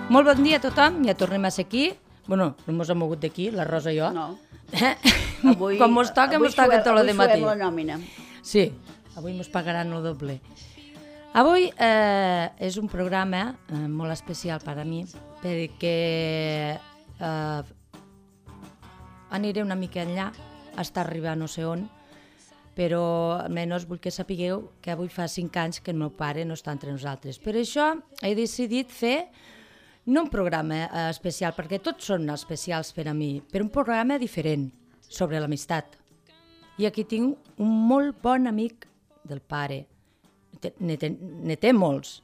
Molt bon dia a tothom, ja tornem a ser aquí. Bueno, no mos hem mogut d'aquí, la Rosa i jo. No. Com mos toca tot el matí. Avui suem la nòmina. Sí, avui mos pagaran el doble. Avui és un programa molt especial per a mi, perquè aniré una mica enllà, està arribant no sé on, però almenys vull que sapigueu que avui fa 5 anys que el meu pare no està entre nosaltres. Per això he decidit fer no un programa especial, perquè tots són especials per a mi, però un programa diferent sobre l'amistat. I aquí tinc un molt bon amic del pare. Ne té molts,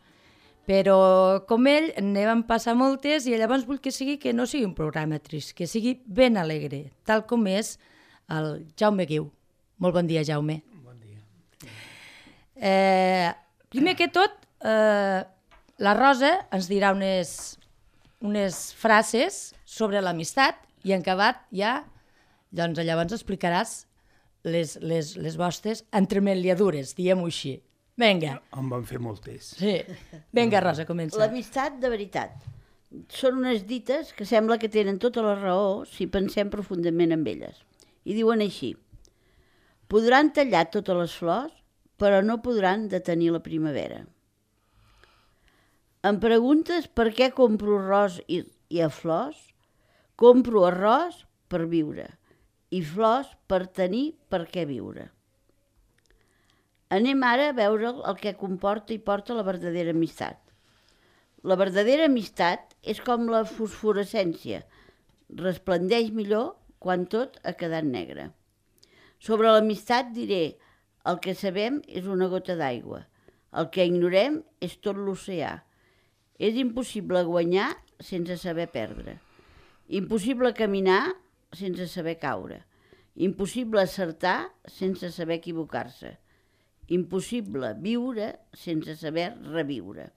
però com ell ne van passar moltes i llavors vull que no sigui un programa trist, que sigui ben alegre, tal com és el Jaume Guiu. Molt bon dia, Jaume. Bon dia. Primer que tot, la Rosa ens dirà unes frases sobre l'amistat i en acabat ja, doncs llavors explicaràs les vostres entremaliadures, diguem-ho així. Vinga. En van fer moltes. Sí. Vinga, Rosa, comença. L'amistat de veritat. Són unes dites que sembla que tenen tota la raó si pensem profundament en elles. I diuen així: podran tallar totes les flors, però no podran detenir la primavera. Em preguntes per què compro arròs i a flors? Compro arròs per viure i flors per tenir per què viure. Anem ara a veure el que comporta i porta la verdadera amistat. La verdadera amistat és com la fosforescència, resplendeix millor quan tot ha quedat negre. Sobre l'amistat diré: el que sabem és una gota d'aigua, el que ignorem és tot l'oceà. És impossible guanyar sense saber perdre, impossible caminar sense saber caure, impossible acertar sense saber equivocar-se, impossible viure sense saber reviure.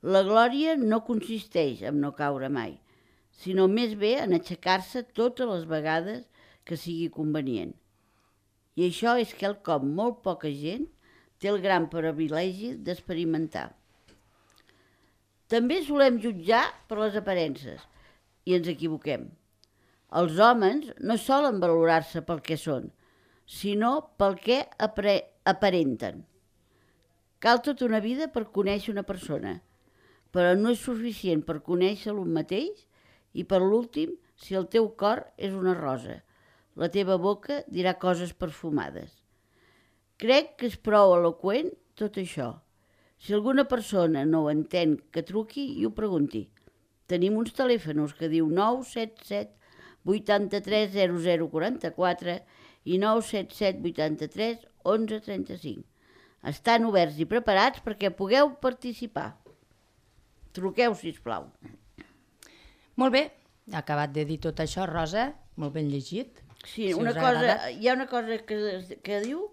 La glòria no consisteix en no caure mai, sinó més bé en aixecar-se totes les vegades que sigui convenient. I això és quelcom molt poca gent té el gran privilegi d'experimentar. També solem jutjar per les aparences i ens equivoquem. Els homes no solen valorar-se pel que són, sinó pel que aparenten. Cal tota una vida per conèixer una persona, però no és suficient per conèixer-lo mateix i per l'últim, si el teu cor és una rosa, la teva boca dirà coses perfumades. Crec que és prou eloqüent tot això. Si alguna persona no ho entén, que truqui i ho pregunti. Tenim uns telèfons que diu 977 83 0044 i 977 83 11 35. Estan oberts i preparats perquè pugueu participar. Truqueu, sisplau. Molt bé, ha acabat de dir tot això, Rosa, molt ben llegit. Sí, hi ha una cosa que diu,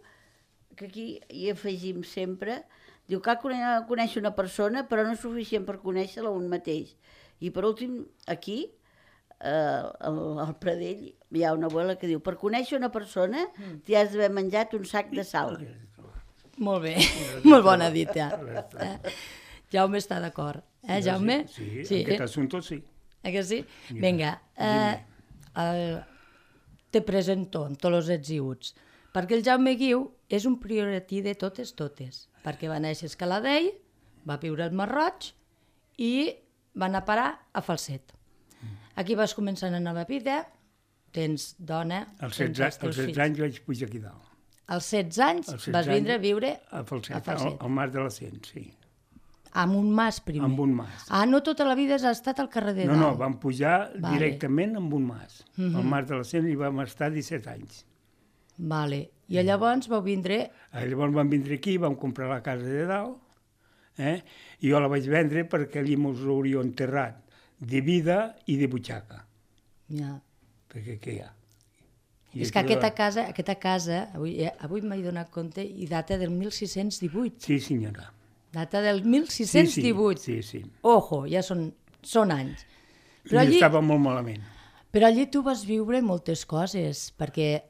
que aquí hi afegim sempre, diu que cal conèixer una persona, però no és suficient per conèixer-la un mateix. I per últim, aquí, al Pradell, hi ha una abuela que diu: per conèixer una persona t'hi has d'haver menjat un sac de sal. Molt bé, molt bona dita. Jaume està d'acord. Jaume? Sí, en aquest assumpte sí. Que sí? Vinga, te presento amb tots els ets i uts, perquè el Jaume Guiu és un priorití de totes, perquè va néixer a Escaladell, va viure al Marroig i va anar a parar a Falset. Aquí vas començar una nova vida, tens dona... Als 16 anys vaig pujar aquí dalt. Als 16 anys vas vindre a viure a Falset, al Mas de la Cent, sí. Amb un mas primer? Amb un mas. No tota la vida has estat al carrer de dalt? No, vam pujar directament amb un mas. Al Mas de la Cent hi vam estar 17 anys. Vale. I llavors vau vindre... Llavors vam vindre aquí, vam comprar la casa de dalt, i jo la vaig vendre perquè allí mos hauria enterrat de vida i de butxaca. Ja. Perquè què hi ha? És que aquesta casa, avui m'he donat compte, i data del 1618. Sí, senyora. Data del 1618. Sí. Ojo, ja són anys. Però allí estava molt malament. Però allí tu vas viure moltes coses, perquè...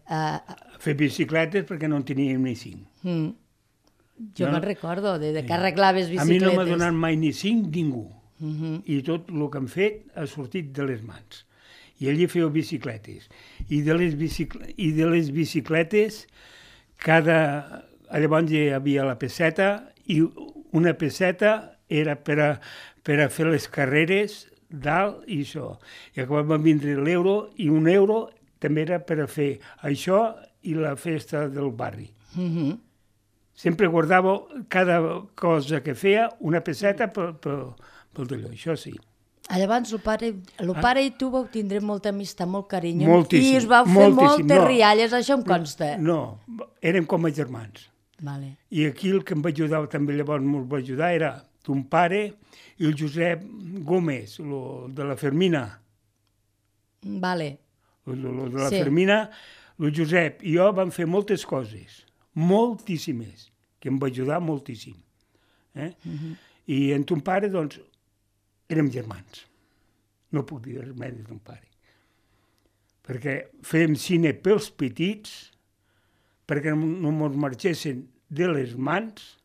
Fer bicicletes perquè no en teníem ni 5. Jo me'n recordo, de que arreglaves bicicletes. A mi no m'ha donat mai ni 5 ningú. I tot el que han fet ha sortit de les mans. I allí feu bicicletes. I de les bicicletes, llavors hi havia la peseta, i una peseta era per a fer les carreres dalt i això. I quan va vindre l'euro, i un euro també era per a fer això i la festa del barri. Sempre guardava cada cosa que feia una peseta pel d'allò, això sí. Llavors, el pare i tu vau tindre molta amistat, molt carinyo, Moltíssim, i us vau fer moltes rialles, això em consta. No, érem com a germans. Vale. I aquí el que em va ajudar, també llavors m'ho va ajudar, era ton pare i el Josep Gómez, de la Fermina. Vale. De la Fermina, el Josep i jo vam fer moltes coses, moltíssimes, que em va ajudar moltíssim. I en ton pare, doncs, érem germans. No puc dir res més de ton pare. Perquè fèiem cine pels petits, perquè no ens marxessin de les mans,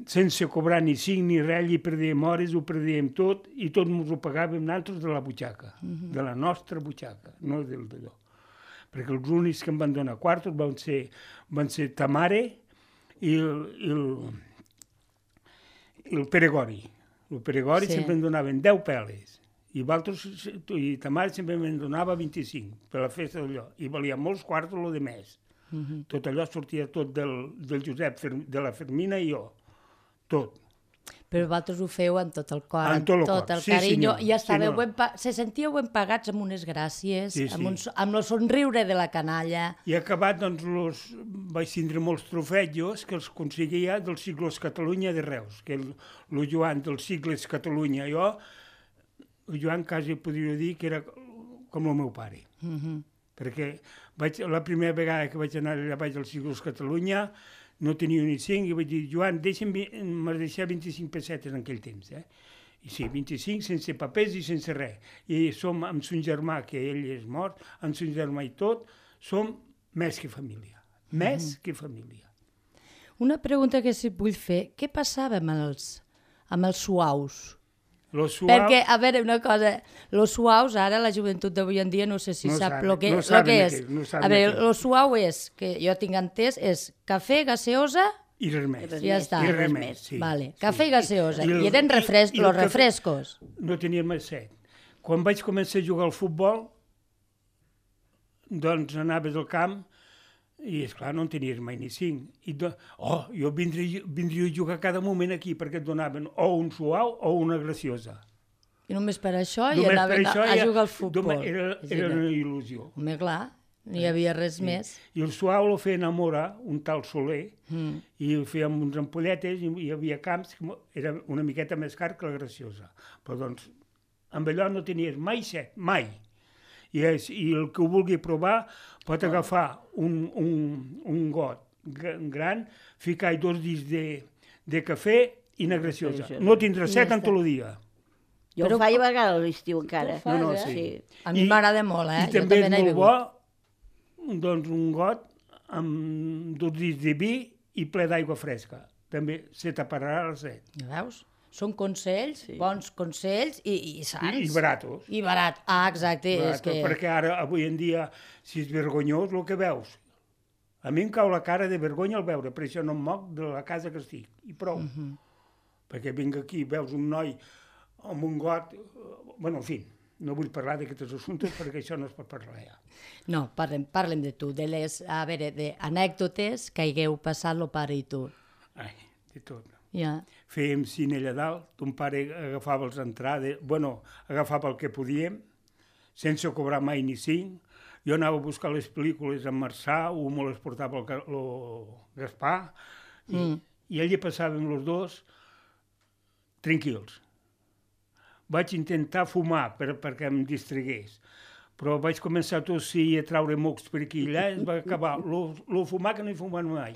sense cobrar ni cinc ni res, i perdíem hores, ho perdíem tot, i tot ens ho pagàvem nosaltres de la butxaca, de la nostra butxaca, no del d'allò. Perquè els únics que em van donar quartos van ser ta mare i el Pere Gori. El Pere Gori sempre em donaven 10 peles, i ta mare sempre em donava 25 per la festa d'allò, i valia molts quartos el de més. Tot allò sortia tot del Josep, de la Fermina i jo, tot. Però vosaltres ho feu amb tot el cor, amb tot el carinyo, i se sentíeu ben pagats amb unes gràcies, amb el somriure de la canalla. I acabat, doncs, vaig tindre molts trofejos que els aconseguia dels Ciclos Catalunya de Reus, que el Joan dels Cicles Catalunya, el Joan quasi podria dir que era com el meu pare. Perquè la primera vegada que vaig anar allà baix als Ciclos Catalunya no tenia ni 5, i vaig dir, Joan, m'has deixat 25 pessetes en aquell temps, I sí, 25 sense papers i sense res. I som amb son germà, que ell és mort, amb son germà i tot, som més que família. Més que família. Una pregunta que si vull fer, què passava amb els suaus? Perquè, a veure, una cosa, los suaus, ara la joventut d'avui en dia no sé si sap el que és. A veure, lo suau és, que jo tinc entès, és cafè, gaseosa i res més. Ja està. I res més, sí. Vale. Cafè i gaseosa. I eren los refrescos. No tenia més set. Quan vaig començar a jugar al futbol, doncs anaves al camp i, esclar, no en tenies mai ni 5. Jo vindria a jugar cada moment aquí perquè et donaven o un suau o una graciosa. I només per això i anaven a jugar al futbol. Era una il·lusió. Home, clar, no hi havia res més. I el suau el feien a Mora, un tal Soler, i ho fèiem uns ampolletes, i hi havia camps que era una miqueta més car que la graciosa. Però, doncs, amb allò no tenies mai set, mai. I el que ho vulgui provar pot agafar un got gran, ficar-hi 2 dits de cafè i una graciosa. No tindrà set en tot el dia. Jo ho faig a vegades a l'estiu encara. No, sí. A mi m'agrada molt, I també és molt bo, doncs, un got amb 2 dits de vi i ple d'aigua fresca. També se taparà el set. Veus? Són consells, bons consells i sants. I baratos. I barat. Exacte. Perquè ara, avui en dia, si és vergonyós el que veus. A mi em cau la cara de vergonya al veure, per això no em moc de la casa que estic. I prou. Perquè vinc aquí, veus un noi amb un got... Bueno, en fi, no vull parlar d'aquests assumptes perquè això no es pot parlar ja. No, parlem de tu, de les, a veure, d'anècdotes que hagueu passat el pare i tu. Ai, de tot. Ja. Fèiem cine allà dalt, ton pare agafava les entrades, agafava el que podíem, sense cobrar mai ni 5. Jo anava a buscar les pel·lícules amb Marçà, o me les portava el Gaspar, i allà passàvem els dos tranquils. Vaig intentar fumar perquè em distragués, però vaig començar a tossir i a traure mocs per aquí i allà, es va acabar. Lo fumar que no hi fumava mai.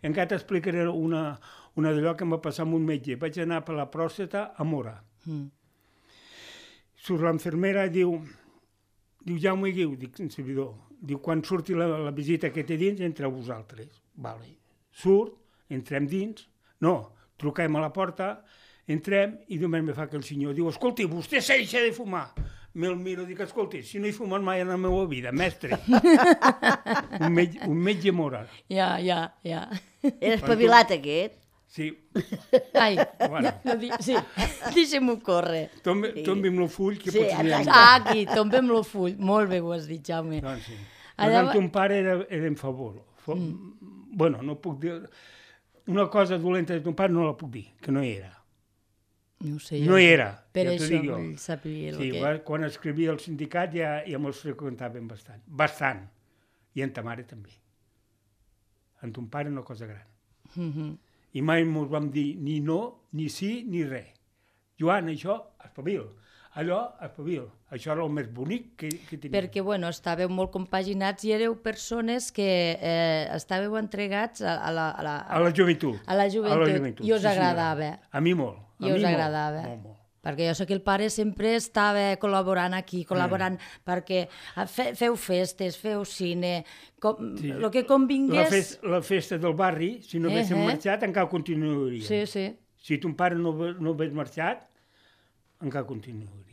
Encara t'explicaré una d'allò que em va passar amb un metge. Vaig anar per la pròstata a Mora. Surt l'enfermera i diu, Jaume Guiu, dic, en servidor, diu, quan surti la visita que té dins, entreu vosaltres. Vale. Surt, entrem dins, no, truquem a la porta, Entrem i només me fa aquell senyor. Diu, escolti, vostè s'ha deixat de fumar. Me'l miro i dic, escolti, si no he fumat mai en la meva vida, mestre. un metge moral. Ja. Era espavilat aquest. Sí. Ai, Bueno. sí, deixem-ho córrer. Tombi'm el full, que Sí, potser n'hi ha. exacte. Aquí, tombem el full. Molt bé ho has dit, Jaume. Doncs sí. Allà Doncs amb ton pare era en favor. Bueno, no puc dir... Una cosa dolenta de ton pare no la puc dir, que no hi era. No ho sé. No hi era, Per ja t'ho això dic jo. vull saber el Sí, que... quan escrivia al sindicat ja me'ls freqüentaven bastant. Bastant. I en ta mare també. En ton pare una cosa gran. I mai mos vam dir ni no, ni sí, ni res. Joan, això, espavil. Allò, espavil. Això era el més bonic que tenia. Perquè, bueno, estàveu molt compaginats i éreu persones que estàveu entregats a la joventut. A la joventut. I us sí, agradava. A mi molt. I us agradava. Molt. Perquè jo sé que el pare sempre estava col·laborant aquí, perquè feu festes, feu cine, el que convingués... La festa del barri, si no haguéssim marxat, encara continuaria. Sí. Si ton pare no hagués marxat, encara continuaria.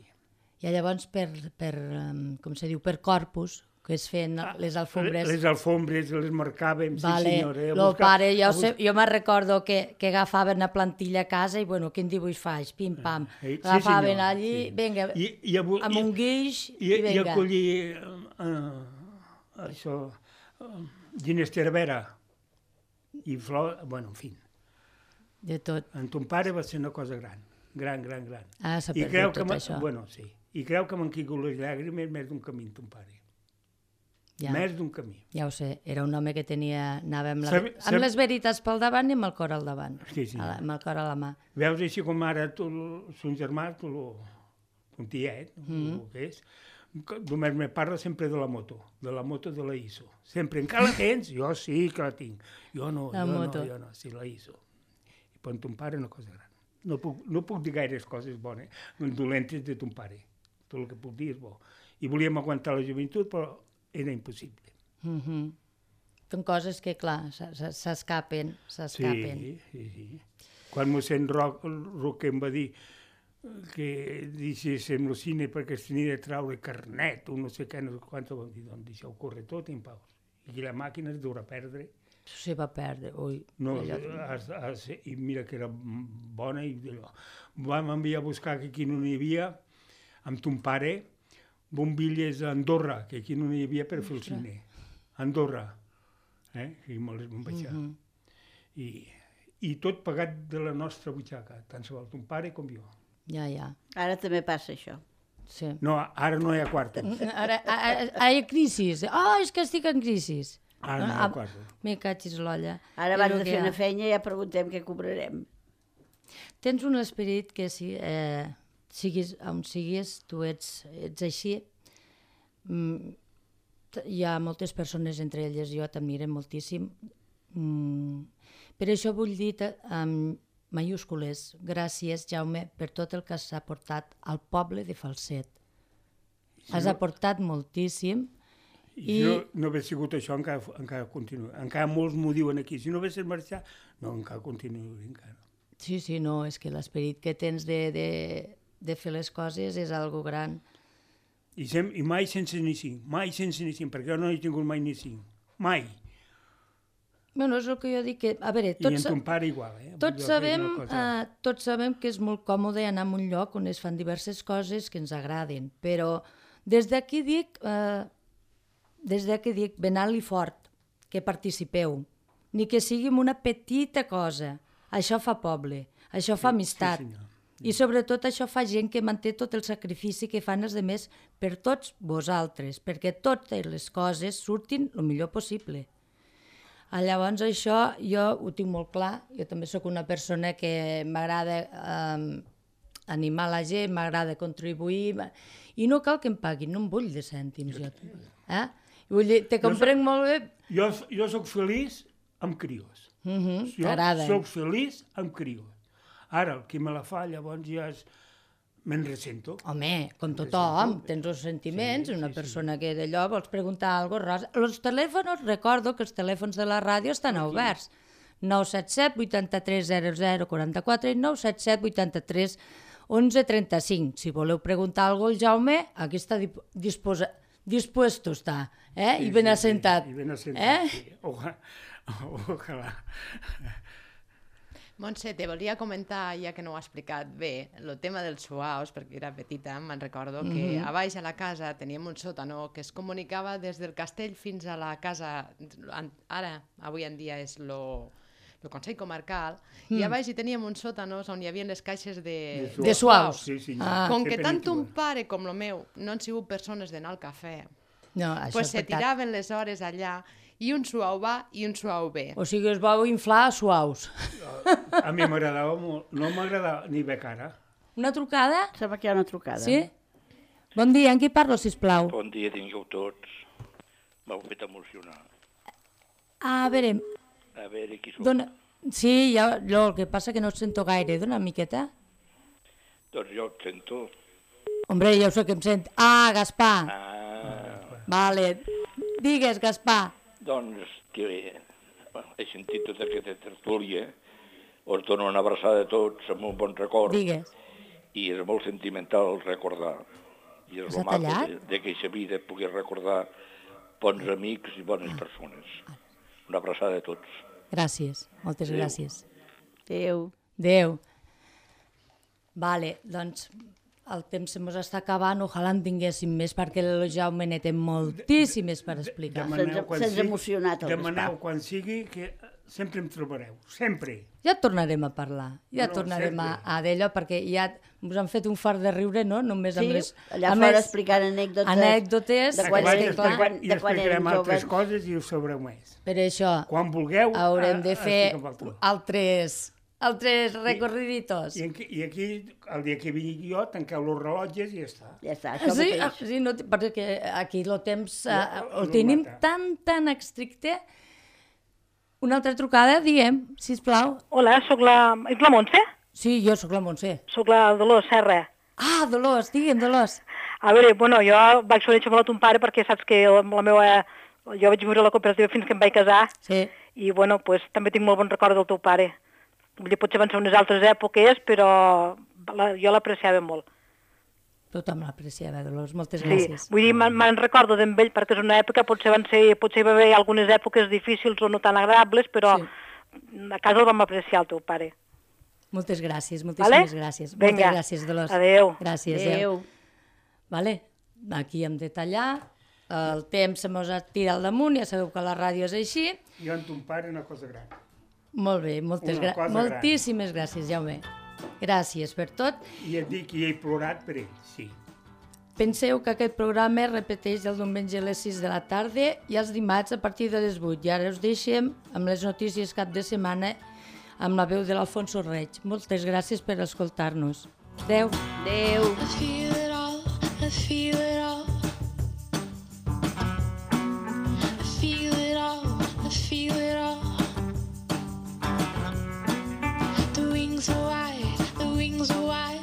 I llavors com se diu, per corpus, que es feien les alfombres... Les alfombres les marcàvem, vale. Sí senyora. El pare, jo me'n recordo que agafaven la plantilla a casa i, bueno, quin dibuix faig? Pim-pam. Agafaven allí, vinga, amb un guix i vinga. I acollir això, ginestervera i flor, bueno, en fi. De tot. En ton pare va ser una cosa gran. Gran. Ah, s'ha perdut tot això. Bueno, sí. I creu que m'han caigut les llàgrimes més d'un camí, ton pare. Ja. Més d'un camí. Ja ho sé, era un home que anava amb les veritats pel davant i amb el cor al davant. Sí. Amb el cor a la mà. Veus així com ara son germà, ton tiet, el que és, només me parla sempre de la moto de la ISO. Sempre, encara la tens? Jo sí que la tinc. Jo no, sí, la ISO. I per ton pare una cosa gran. No puc dir gaires coses bones, dolentes de ton pare. Tot el que puc dir és bo. I volíem aguantar la joventut, però era impossible. Són coses que, clar, s'escapen. Sí. Quan mossèn Roque em va dir que deixéssim el cine perquè es tenia de traure carnet o no sé què, no sé quant, vam dir, doncs deixeu córrer tot en paus. I la màquina es deurà perdre. Se va perdre, ui. No, i mira que era bona i allò. Vam enviar a buscar que aquí no n'hi havia, amb ton pare, bombilles a Andorra, que aquí no n'hi havia per fer el cine. Andorra. I me les vam baixar. I tot pagat de la nostra butxaca, tant se val ton pare com jo. Ja. Ara també passa això. Sí. No, ara no hi ha quartos. Ara hi ha crisis. És que estic en crisis. Ara no hi ha quartos. Me catxis l'olla. Ara abans de fer una feina ja preguntem què cobrarem. Tens un esperit que siguis on siguis, tu ets així. Hi ha moltes persones, entre elles jo, t'admiren moltíssim. Per això vull dir amb majúscules, gràcies, Jaume, per tot el que has aportat al poble de Falset. Has aportat moltíssim. I si no hagués sigut això, encara continua. Encara molts m'ho diuen aquí. Si no haguessis marxat, no, encara continua. Encara. Sí, no, és que l'esperit que tens de fer les coses és algo gran. I mai sense ni cinc, perquè jo no he tingut mai ni cinc. Mai. Bueno, és el que jo dic que... A veure, I en ton pare igual, Tots sabem que és molt còmode anar a un lloc on es fan diverses coses que ens agraden, però des d'aquí dic ben alt i fort, que participeu, ni que sigui en una petita cosa. Això fa poble, això fa amistat. I sobretot això fa gent que manté tot el sacrifici que fan els altres per tots vosaltres, perquè totes les coses surtin el millor possible. Llavors això jo ho tinc molt clar, jo també sóc una persona que m'agrada animar la gent, m'agrada contribuir, i no cal que em paguin, no em vull de cèntims. Vull dir, te comprenc molt bé. Jo sóc feliç amb crios. T'agrada. Jo sóc feliç amb crios. Ara, el que me la fa, llavors ja me'n ressento. Home, com tothom, tens els sentiments, una persona que d'allò vols preguntar alguna cosa. Els telèfons, recordo que els telèfons de la ràdio estan oberts. 977 83 00 44 i 977 83 11 35. Si voleu preguntar alguna cosa al Jaume, aquí està dispuesto està, i ben assentat. I ben assentat, sí. Ojalà. Montse, te volia comentar, ja que no ho ha explicat bé, el tema dels suaus, perquè era petita, me'n recordo que a baix a la casa teníem un sòtano que es comunicava des del castell fins a la casa, ara, avui en dia és el Consell Comarcal, i a baix hi teníem uns sòtanos on hi havia les caixes de suaus. Sí, sí. Com que tant un pare com el meu no han sigut persones d'anar al cafè, pues se tiraven les hores allà i un suau va i un suau ve. O sigui, es vau inflar suaus. A mi m'agradava molt, no m'agradava ni bé cara. Una trucada? Sembla que hi ha una trucada. Sí? Bon dia, amb qui parlo, sisplau? Bon dia, tingueu tots. M'heu fet emocionar. A veure, qui sóc? sí, el que passa que no et sento gaire. Dona una miqueta. Doncs jo et sento. Hombre, ja ho sé que em sent. Ah, Gaspar. Vale. Digues, Gaspar. Doncs que he sentit tota aquesta tertúlia, us dono una abraçada a tots amb un bon record. Digues. I és molt sentimental recordar. I és el maco d'aquesta vida poder recordar bons amics i bones persones. Una abraçada a tots. Gràcies, moltes gràcies. Adéu. Adéu. Vale, doncs el temps se mos està acabant, ojalà en tinguéssim més, perquè el Jaume ne té moltíssimes per explicar. Se'ns ha emocionat el Gaspar. Demaneu quan sigui, que sempre em trobareu, sempre. Ja tornarem a parlar, tornarem a d'allò, perquè ja us han fet un fart de riure, no? Només amb les... Sí, allà fora explicant anècdotes de quan explicarem altres coses i ho sabreu més. Per això quan vulgueu, haurem de fer altres recorriditos. I aquí, el dia que vingui jo, tanqueu els rellotges i ja està. Ja està, sí, no, perquè aquí el temps el tenim tan estricte. Una altra trucada, diguem, sisplau. Hola, ets la Montse? Sí, jo sóc la Montse. Soc la Dolors Serra. Ah, Dolors, digue'm, Dolors. A veure, jo vaig conèixer molt a ton pare perquè saps que jo vaig viure a la cooperativa fins que em vaig casar. Sí. I, també tinc molt bon record del teu pare. Potser van ser unes altres èpoques, però jo l'apreciava molt. Tothom l'apreciava, Dolors, moltes gràcies. Sí, vull dir, me'n recordo d'en ell, perquè és una època, potser hi va haver algunes èpoques difícils o no tan agradables, però a casa el vam apreciar, el teu pare. Moltes gràcies, moltíssimes gràcies. Vinga, moltes gràcies, Dolors. Adéu. Gràcies, adéu. Vale, aquí hem de tallar. El temps se mos tirat al damunt, ja sabeu que la ràdio és així. Jo en ton pare una cosa gran. Molt bé, moltíssimes gràcies, Jaume. Gràcies per tot. I et dic que he plorat per ell, sí. Penseu que aquest programa es repeteix el diumenge a les 6 de la tarda i els dimarts a partir de les 8. I ara us deixem amb les notícies cap de setmana amb la veu de l'Alfonso Reig. Moltes gràcies per escoltar-nos. Adéu. Adéu. I feel it all, I feel it all. I feel it all, I feel it all. The wings are wide, the wings are wide.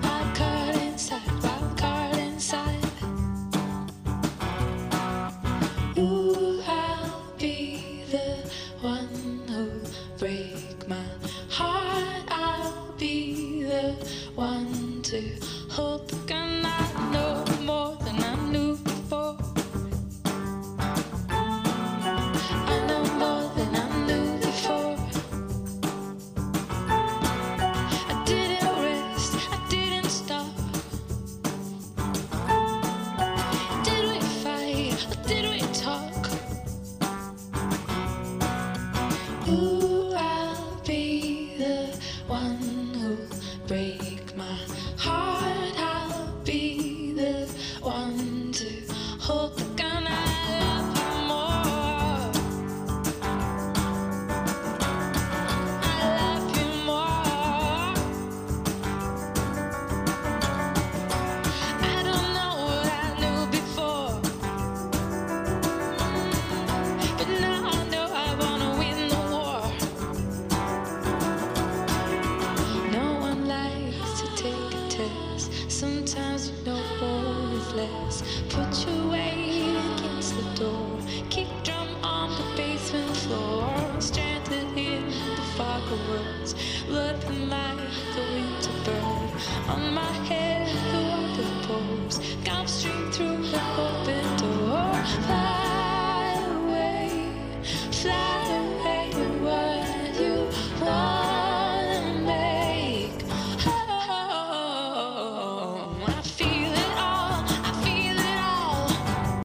Wild card inside, wild card inside. Ooh, I'll be the one who'll break my heart. I'll be the one to hold the gun. I know more than I knew before. I know more than I knew before. I didn't rest, I didn't stop. Did we fight or did we talk? Ooh, I'll be the one who'll break my heart. I'll be the one to hold the gun. I love you more. I love you more. I don't know what I knew before, but now I know I wanna win the war. No one likes to take a test. Sometimes you know more is less. Put your weight against the door. Kick drum on the bass. on my head.